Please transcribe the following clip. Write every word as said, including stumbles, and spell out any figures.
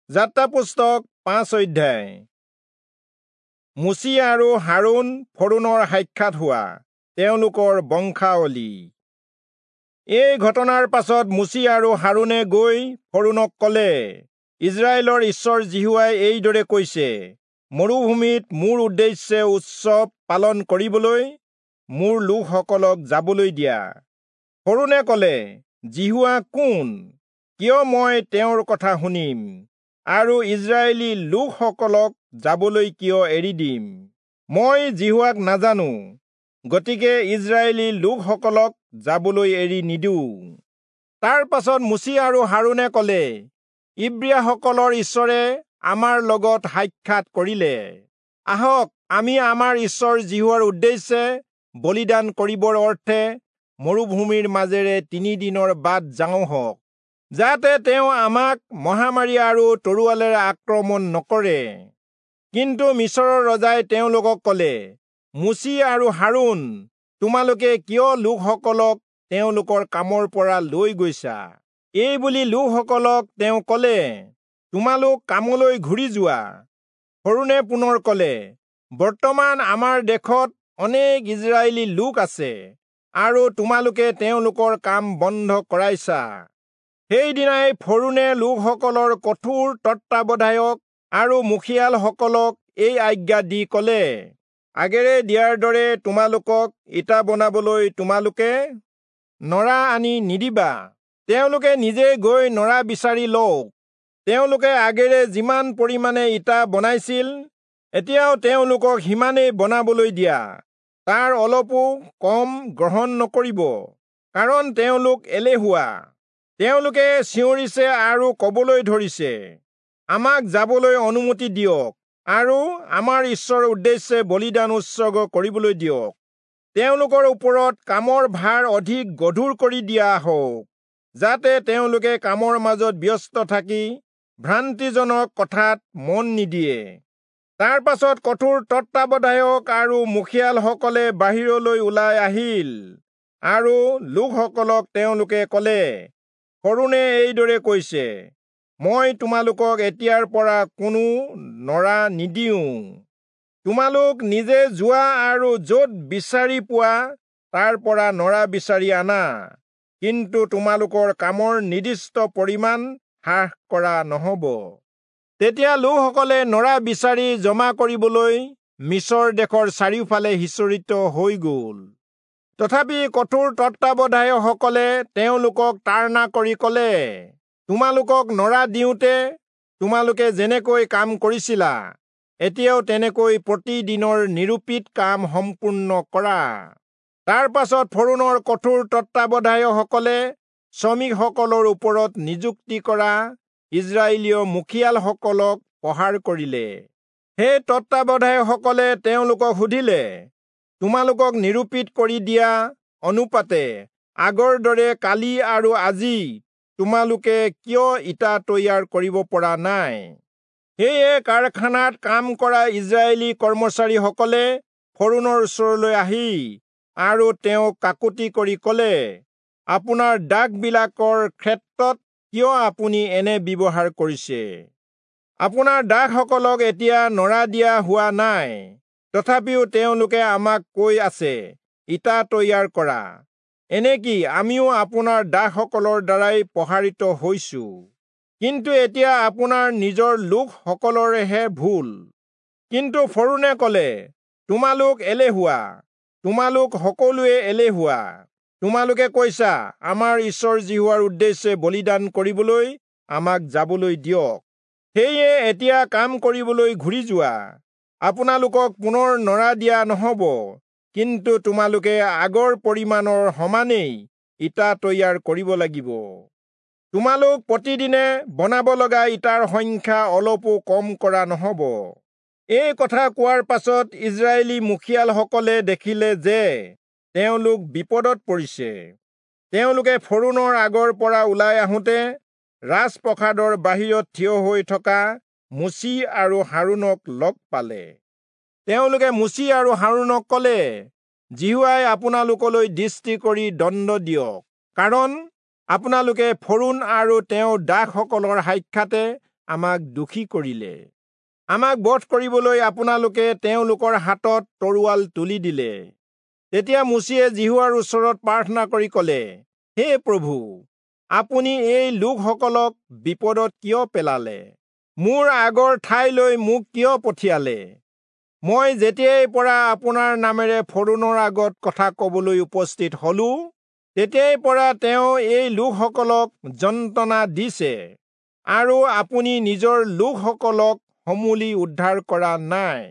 যাত্ৰা পুস্তক পাঁচ অধ্যায়। মোচি আৰু হাৰোণ ফৰোণৰ সাক্ষাৎ হোৱা তেওঁলোকৰ বংশাৱলী। এই ঘটনাৰ পাছত মোচি আৰু হাৰোণে গৈ ফৰোণক কলে, ইস্ৰায়েলৰ ঈশ্বৰ যিহোৱাই এইদৰে কৈছে, মৰুভূমিত মোৰ উদ্দেশ্যে উৎসৱ পালন কৰিবলৈ মোৰ লোকসকলক যাবলৈ দিয়া। ফৰোণে কলে, যিহোৱা কোন? কিয় মই তেওঁৰ কথা শুনিম আৰু ইস্ৰায়েলী লোকসকলক যাবলৈ কিয় এৰি দিম? মই যিহোৱাক নাজানো, গতিকে ইস্ৰায়েলী লোকসকলক যাবলৈ এৰি নিদিওঁ। তাৰ পাছত মোচি আৰু হাৰোণে কলে, ইব্ৰীয়াসকলৰ ঈশ্বৰে আমাৰ লগত সাক্ষাৎ কৰিলে। আহক, আমি আমাৰ ঈশ্বৰ যিহোৱাৰ উদ্দেশ্যে বলিদান কৰিবৰ অৰ্থে মৰুভূমিৰ মাজেৰে তিনি দিনৰ বাট যাওঁ হওক, যাতে তেওঁ আমাক মহামাৰী আৰু তৰোৱালেৰে আক্ৰমণ নকৰে। কিন্তু মিচৰৰ ৰজাই তেওঁলোকক কলে, মোচি আৰু হাৰোণ, তোমালোকে কিয় লোকসকলক তেওঁলোকৰ কামৰ পৰা লৈ গৈছা? এই বুলি লোকসকলক তেওঁ কলে, তোমালোক কামলৈ ঘূৰি যোৱা। ফৰোণে পুনৰ কলে, বৰ্তমান আমাৰ দেশত অনেক ইস্ৰায়েলী লোক আছে আৰু তোমালোকে তেওঁলোকৰ কাম বন্ধ কৰাইছা। সেইদিনাই ফৰোণে লোকসকলৰ কঠোৰ তত্ত্বাৱধায়ক আৰু মুখিয়ালসকলক এই আজ্ঞা দি কলে, আগেৰে দিয়াৰ দৰে তোমালোকক ইটা বনাবলৈ তোমালোকে নৰা আনি নিদিবা। তেওঁলোকে নিজে গৈ নৰা বিচাৰি লওক। তেওঁলোকে আগেৰে যিমান পৰিমাণে ইটা বনাইছিল, এতিয়াও তেওঁলোকক সিমানেই বনাবলৈ দিয়া, তাৰ অলপো কম গ্ৰহণ নকৰিব, কাৰণ তেওঁলোক এলেহুৱা। তেওঁলোকে চিঞৰিছে আৰু কবলৈ ধৰিছে, আমাক যাবলৈ অনুমতি দিয়ক আৰু আমাৰ ঈশ্বৰৰ উদ্দেশ্যে বলিদান উৎসৰ্গ কৰিবলৈ দিয়ক। তেওঁলোকৰ ওপৰত কামৰ ভাৰ অধিক গধুৰ কৰি দিয়া হওক, যাতে তেওঁলোকে কামৰ মাজত ব্যস্ত থাকি ভ্ৰান্তিজনক কথাত মন নিদিয়ে। তাৰ পাছত কঠোৰ তত্ত্বাৱধায়ক আৰু মুখিয়ালসকলে বাহিৰলৈ ওলাই আহিল আৰু লোকসকলক তেওঁলোকে কলে, ফৰোণে এইদৰে কৈছে, মই তোমালোকক এতিয়াৰ পৰা কোনো নৰা নিদিওঁ। তোমালোক নিজে যোৱা আৰু য'ত বিচাৰি পোৱা তাৰ পৰা নৰা বিচাৰি আনা, কিন্তু তোমালোকৰ কামৰ নিৰ্দিষ্ট পৰিমাণ হ্ৰাস কৰা নহব। তেতিয়া লোকসকলে নৰা বিচাৰি জমা কৰিবলৈ মিচৰ দেশৰ চাৰিওফালে সিঁচৰিত হৈ গল। তথাপি কঠোৰ তত্ত্বাৱধায়কসকলে তেওঁলোকক তাড়না কৰি কলে, তোমালোকক নৰা দিওঁতে তোমালোকে যেনেকৈ কাম কৰিছিলা, এতিয়াও তেনেকৈ প্ৰতিদিনৰ নিৰূপিত কাম সম্পূৰ্ণ কৰা। তাৰ পাছত ফৰোণৰ কঠোৰ তত্ত্বাৱধায়কসকলে শ্ৰমিকসকলৰ ওপৰত নিযুক্তি কৰা ইস্ৰায়েলীয় মুখিয়ালসকলক প্ৰহাৰ কৰিলে। সেই তত্ত্বাৱধায়কসকলে তেওঁলোকক সুধিলে, তোমালোকক নিৰূপিত কৰি দিয়া অনুপাতে আগৰ দৰে কালি আৰু আজি তোমালোকে কিয় ইটা তৈয়াৰ কৰিব পৰা নাই? সেয়ে কাৰখানাত কাম কৰা ইস্ৰায়েলী কৰ্মচাৰীসকলে ফৰোণৰ ওচৰলৈ আহি আৰু তেওঁক কাকুতি কৰি কলে, আপোনাৰ দাসবিলাকৰ ক্ষেত্ৰত কিয় আপুনি এনে ব্যৱহাৰ কৰিছে? আপোনাৰ দাসসকলক এতিয়া নৰা দিয়া হোৱা নাই, তথাপিও তেওঁলোকে আমাক কৈ আছে, ইটা তৈয়াৰ কৰা। এনেকি আমিও আপোনাৰ দাসসকলৰ দ্বাৰাই প্ৰহাৰিত হৈছো, কিন্তু এতিয়া আপোনাৰ নিজৰ লোকসকলৰেহে ভুল। কিন্তু ফৰোণে কলে, তোমালোক এলেহুৱা, তোমালোক সকলোৱে এলেহুৱা। তোমালোকে কৈছা, আমাৰ ঈশ্বৰ যিহোৱাৰ উদ্দেশ্যে বলিদান কৰিবলৈ আমাক যাবলৈ দিয়ক। সেয়ে এতিয়া কাম কৰিবলৈ ঘূৰি যোৱা। আপোনালোকক পুনৰ নৰা দিয়া নহব, কিন্তু তোমালোকে আগৰ পৰিমাণৰ সমানেই ইটা তৈয়াৰ কৰিব লাগিব। তোমালোক প্ৰতিদিনে বনাব লগা ইটাৰ সংখ্যা অলপো কম কৰা নহব। এই কথা কোৱাৰ পাছত ইস্ৰায়েলী মুখিয়ালসকলে দেখিলে যে তেওঁলোক বিপদত পৰিছে। তেওঁলোকে ফৰোণৰ আগৰ পৰা ওলাই আহোঁতে ৰাজপ্ৰসাদৰ বাহিৰত থিয় হৈ থকা মোচি আৰু হাৰোণক লগ পালে। তেওঁলোকে মোচি আৰু হাৰোণক কলে, যিহোৱাই আপোনালোকলৈ দৃষ্টি কৰি দণ্ড দিয়ক, কাৰণ আপোনালোকে ফৰোণ আৰু তেওঁৰ দাসসকলৰ সাক্ষাতে আমাক দোষী কৰিলে। আমাক বধ কৰিবলৈ আপোনালোকে তেওঁলোকৰ হাতত তৰোৱাল তুলি দিলে। তেতিয়া মোচিয়ে যিহোৱাৰ ওচৰত প্ৰাৰ্থনা কৰি কলে, হে প্ৰভু, আপুনি এই লোকসকলক বিপদত কিয় পেলালে? মোৰ আগৰ ঠাইলৈ মোক কিয় পঠিয়ালে? মই যেতিয়াই পৰা আপোনাৰ নামেৰে ফৰোণৰ আগত কথা কবলৈ উপস্থিত হলো, তেতিয়াই পৰা তেওঁ এই লোকসকলক যন্ত্ৰণা দিছে, আৰু আপুনি নিজৰ লোকসকলক সমূলি উদ্ধাৰ কৰা নাই।